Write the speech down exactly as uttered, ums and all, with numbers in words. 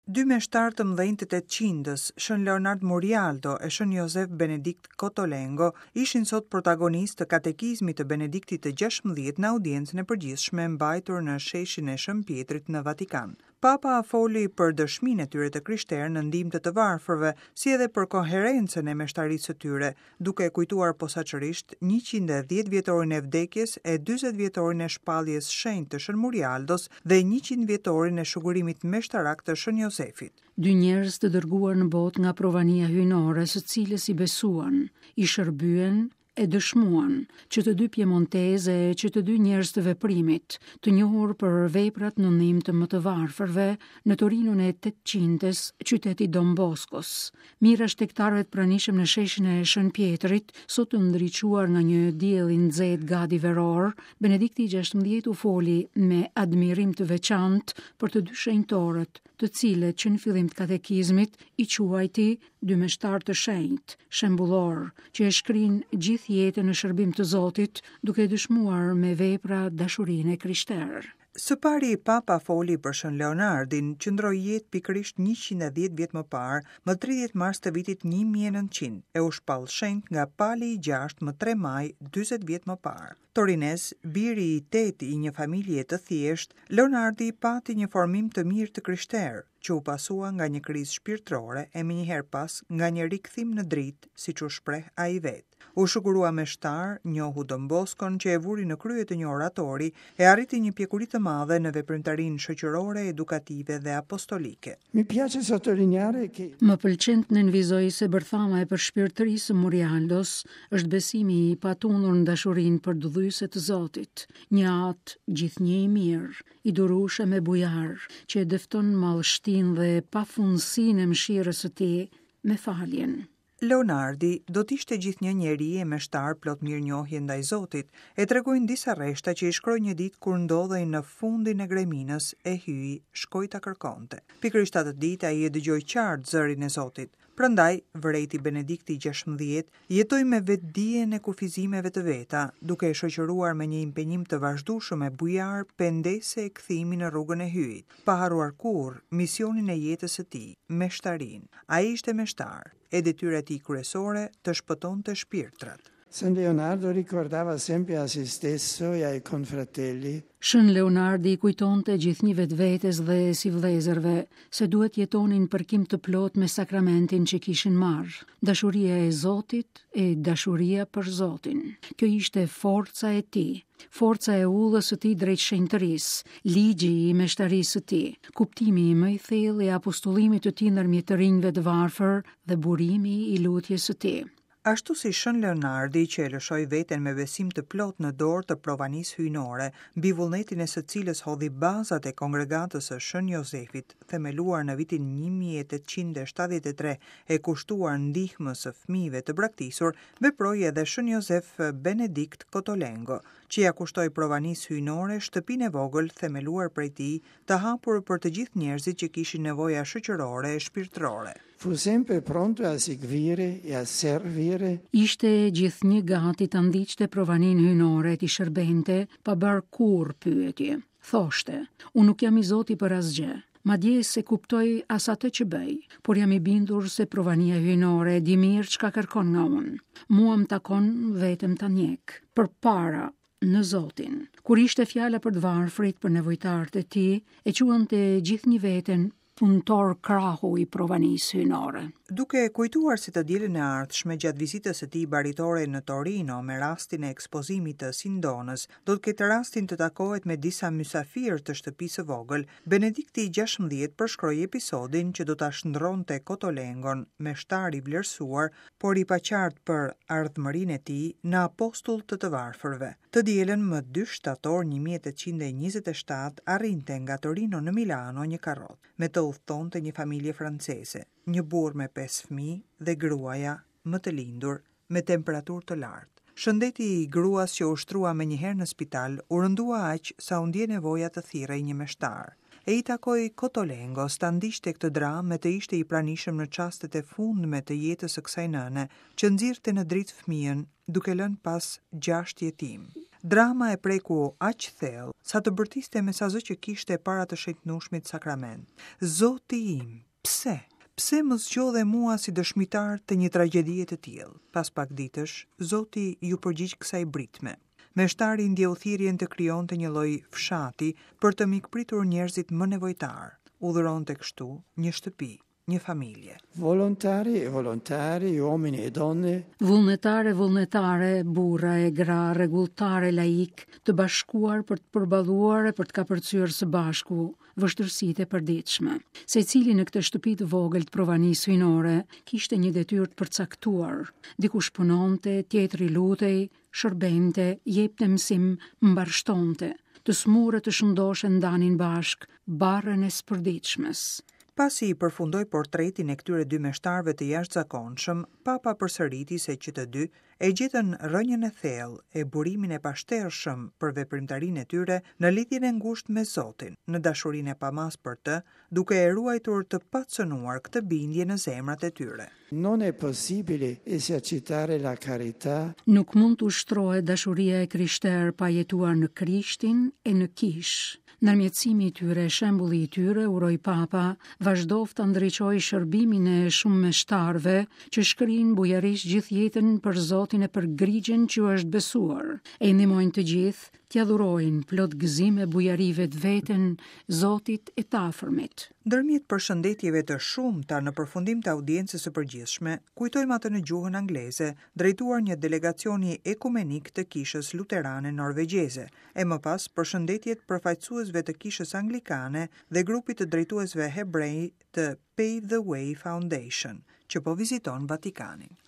Dy meshtarë të mëdhenj të tetëqindës, Shën Leonard Murialdo e Shën Josef Benedikt Cottolengo, ishin sot protagonistë të katekizmit të Benediktit të gjashtëmbëdhjetë në audiencën e përgjithshme mbajtur në sheshin e Shën Pietrit në Vatikan. Papa foli për dëshminë e tyre të krishterë në ndihmë të të varfërve, si edhe për koherencën e meshtarisë së tyre, duke kujtuar posaçërisht njëqind e dhjetë vjetorin e vdekjes e dyzet vjetorin e shpalljes shenjtë të Shën Murialdos dhe njëqind vjetorin e shugurimit meshtarak të Shën Josefit. Dy njerëz të dërguar në botë nga provania hyjnore, së cilës i besuan, i shërbyen e dëshmuan, që të dy piemonteze e që të dy njerëz të veprimit, të njohur për veprat në ndihmë të më të varfërve, në Torinon e tetëqindës, qyteti Don Boscos. Mijëra shtegtarëve të pranishëm në sheshin e Shën Pietrit, sot të ndriçuar nga një diell i nxehtë gati veror, Benedikti i gjashtëmbëdhjetë u foli me admirim të veçantë për të dy shenjtorët, të cilët që në fillim të katekizmit i quajti dy meshtarë të shenjtë, shembullor, që e shkrin gjithë jetën në shërbim të Zotit, duke dëshmuar me vepra dashurinë e krishterë. Së pari, Papa foli për Shën Leonardin, që ndroi jetë pikërisht njëqind e dhjetë vjet më parë, më tridhjetë mars të vitit një mijë e nëntëqind, e u shpall shenjt nga Pali i gjashtë më tre maj dyzet vjet më parë. Torinez, biri i tetë i një familje të thjeshtë, Leonardi pati një formim të mirë të krishterë, që u pasua nga një krizë shpirtërore e menjëherë pas nga një rikthim në dritë, siç u shpreh ai vetë. U shugurua meshtar, njohu Don Boscon që e vuri në krye të një oratori e arriti një pjekuri të madhe në veprimtarinë shoqërore, edukative dhe apostolike. Mi piace sottolineare che Më pëlqen të nënvizoj se bërthama e përshpirtërisë së Murialdos është besimi i patundur në dashurinë për dëdhyse të Zotit, një atë gjithnjë i mirë, i durueshëm e bujar, që e dëfton mallështinë dhe pafundësinë e mëshirës së tij me faljen. Leonardi do të ishte gjithnjë njeri e meshtar plot mirënjohje ndaj Zotit, e tregojnë disa rreshta që i shkroi një ditë kur ndodhej në fundin e greminës e Hyji shkoi ta kërkonte. Pikërisht atë ditë ai e dëgjoi qartë zërin e Zotit. Prandaj, vërejti Benedikti i gjashtëmbëdhjetë jetoi me vetëdijen e kufizimeve të veta, duke e shoqëruar me një impenjim të vazhdueshëm e bujar pendese e kthimi në rrugën e Hyjit, pa harruar kurrë misionin e jetës së tij, meshtarinë. Ai ishte meshtar, e detyra e tij kryesore të shpëtonte shpirtrat. San Leonardo ricordava sempre a se stesso e ai confratelli. Shën Leonardi i kujtonte gjithnjë vetvetes dhe si vëllezërve se duhet jetonin përkim të plot me sakramentin që kishin marrë, dashuria e Zotit e dashuria për Zotin. Kjo ishte forca e tij, forca e ullës së tij drejt shenjtërisë, ligji i meshtarisë së tij, kuptimi më i thellë i apostullimit të tij ndërmjet të rinjve të varfër dhe burimi i lutjes së tij. Ashtu si Shën Leonardi që e lëshoi veten me besim të plot në dorë të provanisë hyjnore, mbi vullnetin e së cilës hodhi bazat e kongregatës së Shën Josefit, themeluar në vitin një mijë e tetëqind e shtatëdhjetë e tre e kushtuar ndihmës së fëmijëve të braktisur, veproi edhe Shën Josef Benedikt Cottolengo, që ja kushtoi provanisë hyjnore shtëpinë e vogël themeluar prej tij, të hapur për të gjithë njerëzit që kishin nevoja shoqërore e shpirtërore. Fu sempre pronto a seguire e a servire. Ishte gjithnjë gati ta ndiqte provaninë hyjnore e t'i shërbente pa bërë kurrë pyetje. Thoshte, unë nuk jam i zoti për asgjë, madje se kuptoj as atë që bëj, por jam i bindur se provania hyjnore e di mirë çka kërkon nga unë. Mua më takon vetëm ta ndjek. Përpara në Zotin. Kur ishte fjala për të varfrit, për nevojtarët e tij, e quante gjithnjë veten punëtor krahu i provanisë hyjnore. Duke kujtuar se të dielën e ardhshme gjatë vizitës së tij baritore në Torino me rastin e ekspozimit të Sindonës, do të ketë rastin të takohet me disa mysafirë të shtëpisë së vogël, Benedikti i gjashtëmbëdhjetë përshkroi episodin që do ta shndronte Cottolengon, meshtar i vlerësuar, por i paqartë për ardhmërinë e tij në apostull të të varfërve. Të dielën më dy shtator një mijë e tetëqind e njëzet e shtatë arrinte nga Torino në Milano një karrot. Me të udhtonte një familje franceze, një burr me pesë fëmijë dhe gruaja më të lindur me temperaturë të lartë. Shëndeti i gruas që u shtrua menjëherë në spital u rëndua aq sa u ndje nevoja të thirrej një meshtar. E i takoi Cottolengos ta ndiqte këtë dramë me të ishte i pranishëm në çastet e fundme të jetës së kësaj nëne, që nxirrte në dritë fëmijën, duke lënë pas gjashtë jetim. Drama e preku aq thellë sa të bërtiste me sa zë që kishte para të shenjtnueshmit sakrament. Zoti im, pse? Pse më zgjodhe mua si dëshmitar të një tragjedie të tillë? Pas pak ditësh, Zoti iu përgjigj kësaj britme. Meshtari ndjeu thirrjen të krijonte një lloj fshati për të mikpritur njerëzit më nevojtar. Urdhëronte kështu një shtëpi, një familje. Volontari e volontari, uomini e donne, Vullnetarë e vullnetare, burra e gra, rregulltarë e laik, të bashkuar për të përballuar e për të kapërcyer së bashku vështirësitë e përditshme. Secili në këtë shtëpi të vogël të provanisë hyjnore kishte një detyrë të përcaktuar. Dikush punonte, tjetri lutej, shërbente, jepte mësim, mbarshtonte. Të smurë të shëndoshë ndanin bashk barrën e spërditshmes. Pasi i përfundoi portretin e këtyre dy meshtarëve të jashtëzakonshëm, Papa përsëriti se që të dy e gjetën rrënjën e thellë e burimin e pashtershëm për veprimtarinë e tyre në lidhjen e ngushtë me Zotin, në dashurinë e pamas për të, duke e ruajtur të pacënuar këtë bindje në zemrat e tyre. Non è possibile esercitare la carità Nuk mund të ushtrohet dashuria e krishterë pa jetuar në Krishtin e në kishë. Ndërmjetësimi i tyre, shembulli i tyre, uroi Papa, vazhdoftë ta ndriçojë shërbimin e shumë meshtarëve që shkrin bujarisht gjithë jetën për Zotin e për grigjën që u është besuar, e i ndihmojnë të gjithë t'ia dhurojnë plot gëzim e bujari vetveten Zotit e të afërmit. Ndërmjet përshëndetjeve të shumta në përfundim të audiencës së përgjithshme, kujtojmë atë në gjuhën angleze, drejtuar një delegacioni ekumenik të Kishës Luterane Norvegjeze, e më pas përshëndetjet përfaqësuesve të Kishës Anglikane dhe grupit të drejtuesve hebrej të Pave the Way Foundation, që po viziton Vatikanin.